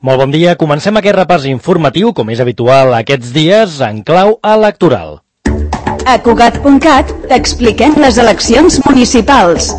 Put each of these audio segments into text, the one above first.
Molt bon dia, comencem aquest repàs informatiu, com és habitual aquests dies, en clau electoral. A Cugat.cat t'expliquem les eleccions municipals.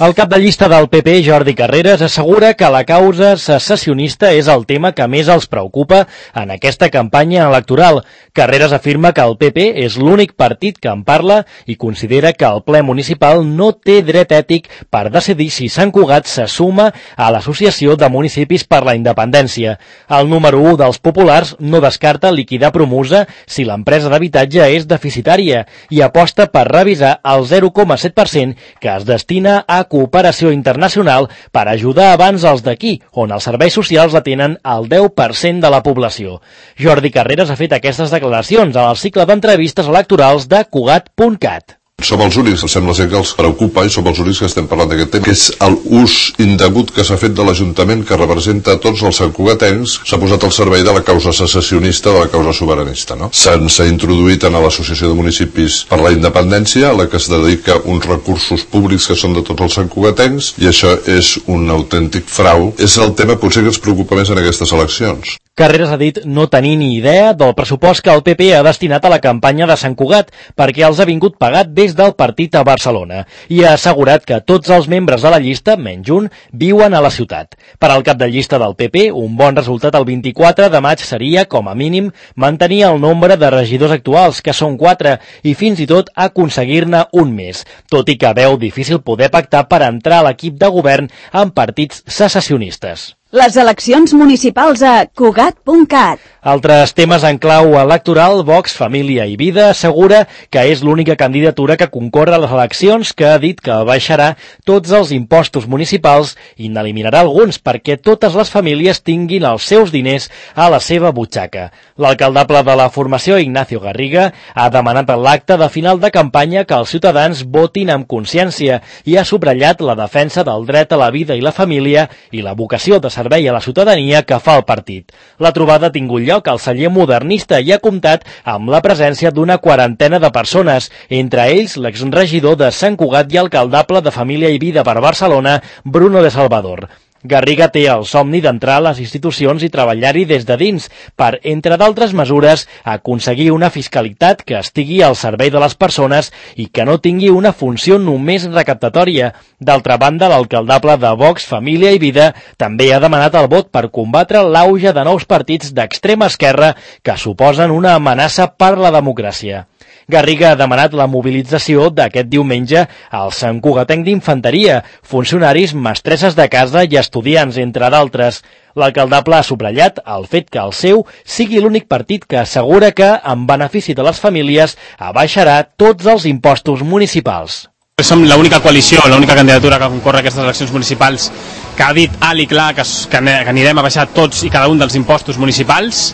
El cap de llista del PP, Jordi Carreras, assegura que la causa secessionista és el tema que més els preocupa en aquesta campanya electoral. Carreras afirma que el PP és l'únic partit que en parla i considera que el ple municipal no té dret ètic per decidir si Sant Cugat se suma a l'Associació de Municipis per la Independència. El número 1 dels populars no descarta liquidar Promusa si l'empresa d'habitatge és deficitària i aposta per revisar el 0,7% que es destina a cooperació internacional per ajudar abans els d'aquí, on els serveis socials atenen el 10% de la població. Jordi Carreras ha fet aquestes declaracions al cicle d'entrevistes electorals de Cugat.cat. Som els únics, sembla ser que els preocupa i som els únics que estem parlant d'aquest tema, que és l'ús indegut que s'ha fet de l'Ajuntament que representa tots els santcugatencs, s'ha posat al servei de la causa secessionista, de la causa sobiranista, no? S'ha introduït en l'Associació de Municipis per la Independència, a la que es dedica uns recursos públics que són de tots els santcugatencs, i això és un autèntic frau. És el tema potser que ens preocupa més en aquestes eleccions. Carreras ha dit no tenir ni idea del pressupost que el PP ha destinat a la campanya de Sant Cugat perquè els ha vingut pagat des del partit a Barcelona i ha assegurat que tots els membres de la llista, menys un, viuen a la ciutat. Per al cap de llista del PP, un bon resultat el 24 de maig seria, com a mínim, mantenir el nombre de regidors actuals, que són 4, i fins i tot aconseguir-ne un més, tot i que veu difícil poder pactar per entrar a l'equip de govern amb partits secessionistes. Les eleccions municipals a Cugat.cat. Altres temes en clau electoral, Vox, Família i Vida assegura que és l'única candidatura que concorre a les eleccions, que ha dit que baixarà tots els impostos municipals i n'eliminarà alguns perquè totes les famílies tinguin els seus diners a la seva butxaca. L'alcaldable de la formació, Ignacio Garriga, ha demanat en l'acte de final de campanya que els ciutadans votin amb consciència i ha subratllat la defensa del dret a la vida i la família i la vocació de servei a la ciutadania que fa el partit. La trobada ha tingut lloc al celler modernista i ha comptat amb la presència d'una quarantena de persones, entre ells l'exregidor de Sant Cugat i alcaldable de Família i Vida per Barcelona, Bruno de Salvador. Garriga té el somni d'entrar a les institucions i treballar-hi des de dins per, entre d'altres mesures, aconseguir una fiscalitat que estigui al servei de les persones i que no tingui una funció només recaptatòria. D'altra banda, l'alcaldable de Vox, Família i Vida també ha demanat el vot per combatre l'auge de nous partits d'extrema esquerra que suposen una amenaça per la democràcia. Garriga ha demanat la mobilització d'aquest diumenge al Sant Cugatenc d'Infanteria, funcionaris, mestresses de casa i estudiants, entre d'altres. L'alcaldable ha subratllat el fet que el seu sigui l'únic partit que assegura que, en benefici de les famílies, abaixarà tots els impostos municipals. Som l'única coalició, l'única candidatura que concorre a aquestes eleccions municipals que ha dit alt i clar que anirem a baixar tots i cada un dels impostos municipals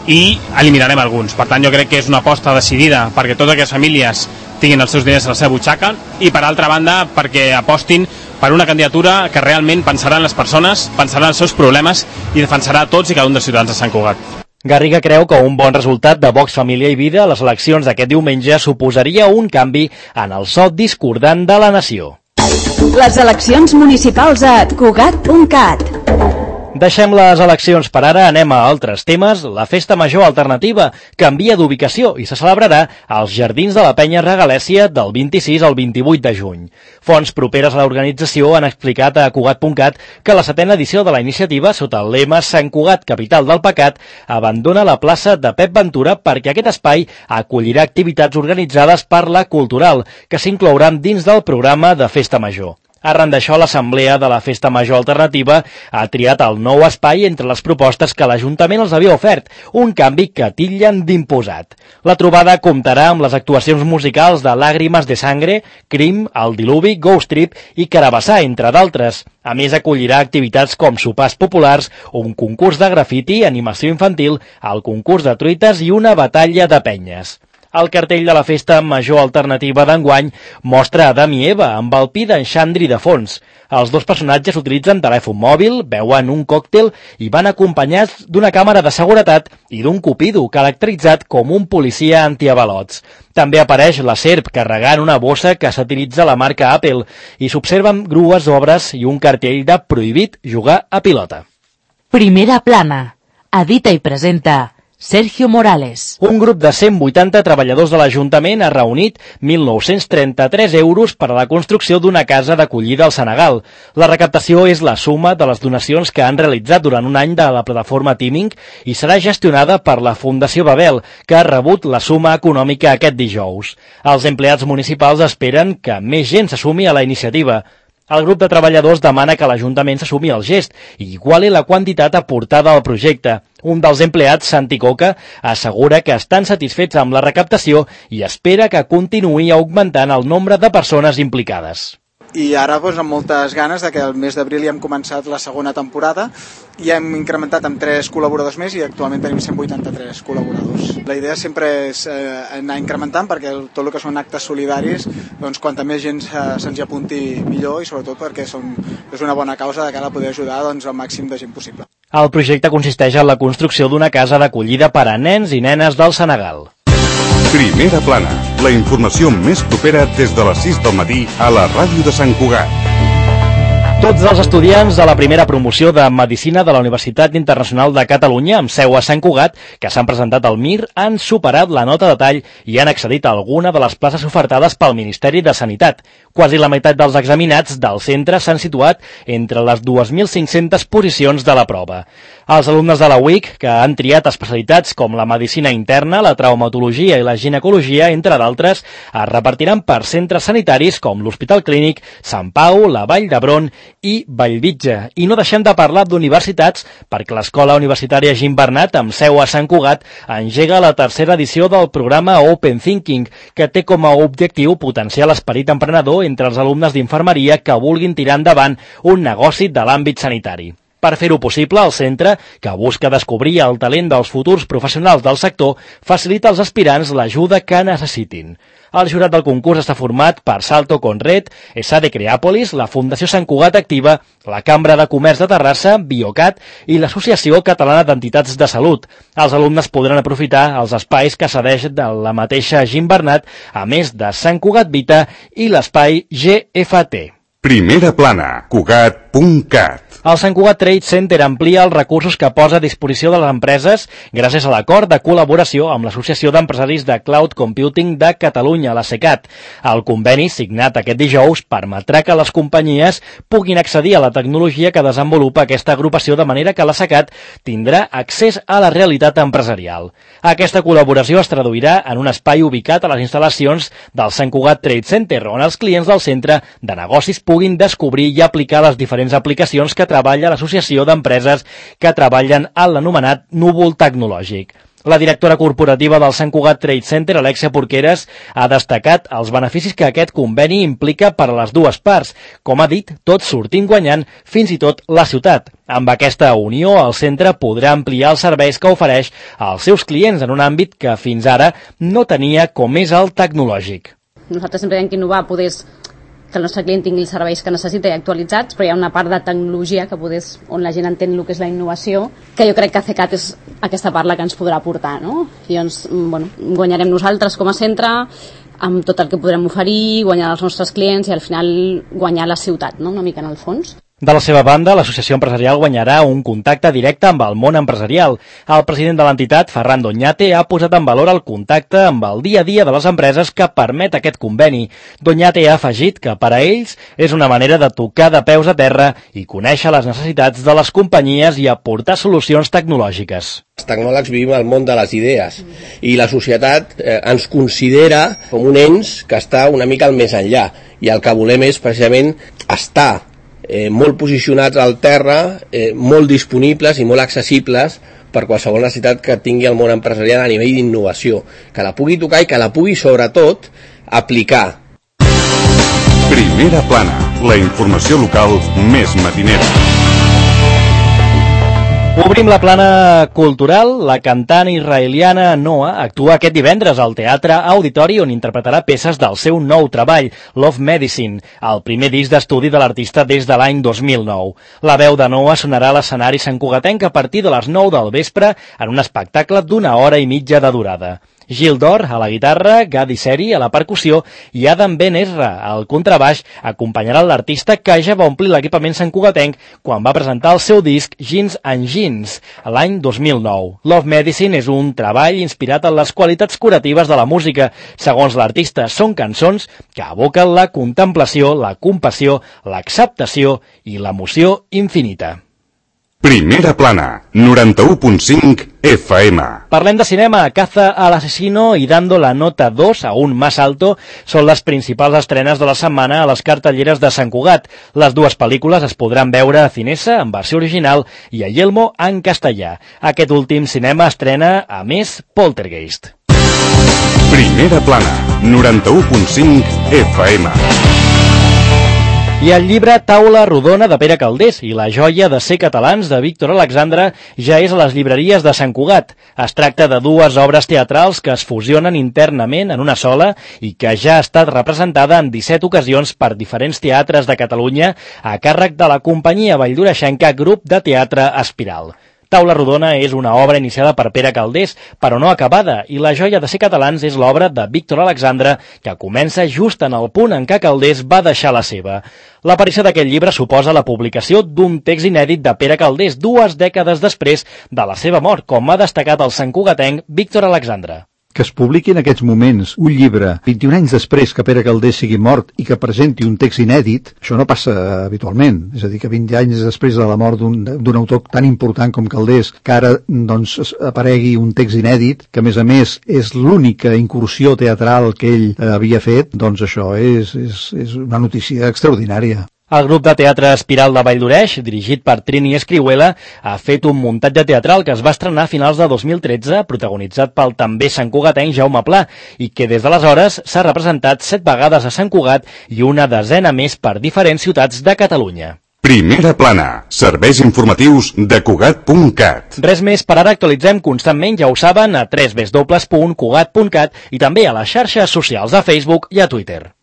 i eliminarem alguns. Per tant, jo crec que és una aposta decidida perquè totes aquestes famílies tinguin els seus diners a la seva butxaca i, per altra banda, perquè apostin per una candidatura que realment pensarà en les persones, pensarà en els seus problemes i defensarà tots i cada un dels ciutadans de Sant Cugat. Garriga creu que un bon resultat de Vox, Família i Vida a les eleccions d'aquest diumenge suposaria un canvi en el so discordant de la nació. Les eleccions municipals a Cugat.cat. Deixem les eleccions per ara, anem a altres temes. La Festa Major Alternativa canvia d'ubicació i se celebrarà als Jardins de la Penya Regalèssia del 26 al 28 de juny. Fonts properes a l'organització han explicat a Cugat.cat que la 7a edició de la iniciativa, sota el lema Sant Cugat, capital del pecat, abandona la plaça de Pep Ventura perquè aquest espai acollirà activitats organitzades per la Cultural, que s'inclouran dins del programa de Festa Major. Arran d'això, l'Assemblea de la Festa Major Alternativa ha triat el nou espai entre les propostes que l'Ajuntament els havia ofert, un canvi que titllen d'imposat. La trobada comptarà amb les actuacions musicals de Làgrimes de Sangre, Crim, El Diluvi, Ghost Trip i Carabassà, entre d'altres. A més, acollirà activitats com sopars populars, un concurs de grafiti, animació infantil, el concurs de truites i una batalla de penyes. El cartell de la festa major alternativa d'enguany mostra Adam i Eva amb el pi d'en Xandri de fons. Els dos personatges utilitzen telèfon mòbil, beuen un còctel i van acompanyats d'una càmera de seguretat i d'un cupido caracteritzat com un policia antiavalots. També apareix la serp carregant una bossa que satiritza la marca Apple i s'observen grues d'obres i un cartell de prohibit jugar a pilota. Primera plana. Edita i presenta Sergio Morales. Un grup de 180 treballadors de l'Ajuntament ha reunit 1.933 euros per a la construcció d'una casa d'acollida al Senegal. La recaptació és la suma de les donacions que han realitzat durant un any de la plataforma Teaming i serà gestionada per la Fundació Babel, que ha rebut la suma econòmica aquest dijous. Els empleats municipals esperen que més gent s'assumi a la iniciativa. El grup de treballadors demana que l'Ajuntament s'assumi el gest i iguali la quantitat aportada al projecte. Un dels empleats, Santi Coca, assegura que estan satisfets amb la recaptació i espera que continuï augmentant el nombre de persones implicades. I ara amb moltes ganes de que el mes d'abril ja hem començat la segona temporada i hem incrementat amb 3 col·laboradors més i actualment tenim 183 col·laboradors. La idea sempre és anar incrementant perquè tot el que són actes solidaris, doncs quanta més gent se'ns hi apunti millor i sobretot perquè és una bona causa de cara a poder ajudar al màxim de gent possible. El projecte consisteix en la construcció d'una casa d'acollida per a nens i nenes del Senegal. Primera plana, la informació més propera des de les 6 del matí a la ràdio de Sant Cugat. Tots els estudiants de la primera promoció de Medicina de la Universitat Internacional de Catalunya, amb seu a Sant Cugat, que s'han presentat al MIR, han superat la nota de tall i han accedit a alguna de les places ofertades pel Ministeri de Sanitat. Quasi la meitat dels examinats del centre s'han situat entre les 2.500 posicions de la prova. Els alumnes de la UIC, que han triat especialitats com la medicina interna, la traumatologia i la ginecologia, entre d'altres, es repartiran per centres sanitaris com l'Hospital Clínic, Sant Pau, la Vall d'Hebron i Bellvitge. I no deixem de parlar d'universitats perquè l'Escola Universitària Gimbernat, amb seu a Sant Cugat, engega la tercera edició del programa Open Thinking, que té com a objectiu potenciar l'esperit emprenedor entre els alumnes d'infermeria que vulguin tirar endavant un negoci de l'àmbit sanitari. Per fer-ho possible, el centre, que busca descobrir el talent dels futurs professionals del sector, facilita als aspirants l'ajuda que necessitin. El jurat del concurs està format per Salto Conred, ESADE Creàpolis, la Fundació Sant Cugat Activa, la Cambra de Comerç de Terrassa, Biocat i l'Associació Catalana d'Entitats de Salut. Els alumnes podran aprofitar els espais que cedeix de la mateixa Gimbernat, a més de Sant Cugat Vita i l'espai GFT. Primera plana, Cugat.cat. El Sant Cugat Trade Center amplia els recursos que posa a disposició de les empreses gràcies a l'acord de col·laboració amb l'Associació d'Empresaris de Cloud Computing de Catalunya, la CECAT. El conveni, signat aquest dijous, permetrà que les companyies puguin accedir a la tecnologia que desenvolupa aquesta agrupació, de manera que la CECAT tindrà accés a la realitat empresarial. Aquesta col·laboració es traduirà en un espai ubicat a les instal·lacions del Sant Cugat Trade Center, on els clients del centre de negocis puguin descobrir i aplicar les diferents aplicacions que treballa l'Associació d'Empreses que treballen a l'anomenat núvol tecnològic. La directora corporativa del Sant Cugat Trade Center, Alexia Porqueres, ha destacat els beneficis que aquest conveni implica per a les dues parts. Com ha dit, tots sortim guanyant, fins i tot la ciutat. Amb aquesta unió, el centre podrà ampliar els serveis que ofereix als seus clients en un àmbit que fins ara no tenia, com és el tecnològic. Nosaltres sempre hem d'innovar, que el nostre client tingui els serveis que necessita i actualitzats, però hi ha una part de tecnologia que on la gent entén el que és la innovació, que jo crec que CECAT és aquesta part la que ens podrà aportar, no? I doncs, guanyarem nosaltres com a centre amb tot el que podrem oferir, guanyar els nostres clients i al final guanyar la ciutat, no? Una mica en el fons. De la seva banda, l'associació empresarial guanyarà un contacte directe amb el món empresarial. El president de l'entitat, Ferran Doñate, ha posat en valor el contacte amb el dia a dia de les empreses que permet aquest conveni. Doñate ha afegit que per a ells és una manera de tocar de peus a terra i conèixer les necessitats de les companyies i aportar solucions tecnològiques. Els tecnòlegs vivim al món de les idees i la societat ens considera com un ens que està una mica al més enllà i el que volem és precisament estar molt posicionats al terra, molt disponibles i molt accessibles per qualsevol necessitat que tingui el món empresarial a nivell d'innovació, que la pugui tocar i que la pugui sobretot aplicar. Primera plana, la informació local més matinera. Obrim la plana cultural. La cantant israeliana Noah actua aquest divendres al Teatre Auditori, on interpretarà peces del seu nou treball, Love Medicine, el primer disc d'estudi de l'artista des de l'any 2009. La veu de Noah sonarà a l'escenari santcugatenc a partir de les 9 del vespre en un espectacle d'1 hora i mitja de durada. Gil Dor a la guitarra, Gadi Seri a la percussió i Adam Ben Ezra al contrabaix acompanyaran l'artista, que ja va omplir l'equipament santcugatenc quan va presentar el seu disc Jeans and Jeans l'any 2009. Love Medicine és un treball inspirat en les qualitats curatives de la música. Segons l'artista, són cançons que evoquen la contemplació, la compassió, l'acceptació i l'emoció infinita. Primera plana, 91.5 FM. Parlem de cinema. Caza al asesino y Dando la nota 2 aún más alto són les principals estrenes de la setmana a les cartelleres de Sant Cugat. Les dues pel·lícules es podran veure a Cinesa en versió original i a Yelmo en castellà. Aquest últim cinema estrena, a més, Poltergeist. Primera plana, 91.5 FM. I el llibre Taula rodona de Pere Calders i La joia de ser catalans de Víctor Alexandre ja és a les llibreries de Sant Cugat. Es tracta de dues obres teatrals que es fusionen internament en una sola i que ja ha estat representada en 17 ocasions per diferents teatres de Catalunya a càrrec de la companyia valldoreixenca Grup de Teatre Espiral. Taula rodona és una obra iniciada per Pere Calders, però no acabada, i La joia de ser catalans és l'obra de Víctor Alexandre, que comença just en el punt en què Calders va deixar la seva. L'aparició d'aquest llibre suposa la publicació d'un text inèdit de Pere Calders 2 dècades després de la seva mort, com ha destacat el santcugatenc Víctor Alexandre. Que es publiqui en aquests moments un llibre 21 anys després que Pere Calders sigui mort i que presenti un text inèdit, això no passa habitualment. És a dir, que 20 anys després de la mort d'un autor tan important com Calders, que ara doncs, aparegui un text inèdit, que a més és l'única incursió teatral que ell havia fet, doncs això és una notícia extraordinària. El grup de teatre Espiral de Valldoreix, dirigit per Trini Escrihuela, ha fet un muntatge teatral que es va estrenar a finals de 2013, protagonitzat pel també santcugatenc Jaume Pla, i que des d'aleshores s'ha representat 7 vegades a Sant Cugat i una desena més per diferents ciutats de Catalunya. Primera plana, serveis informatius de Cugat.cat. Res més, per ara actualitzem constantment, ja ho saben, a www.cugat.cat i també a les xarxes socials, a Facebook i a Twitter.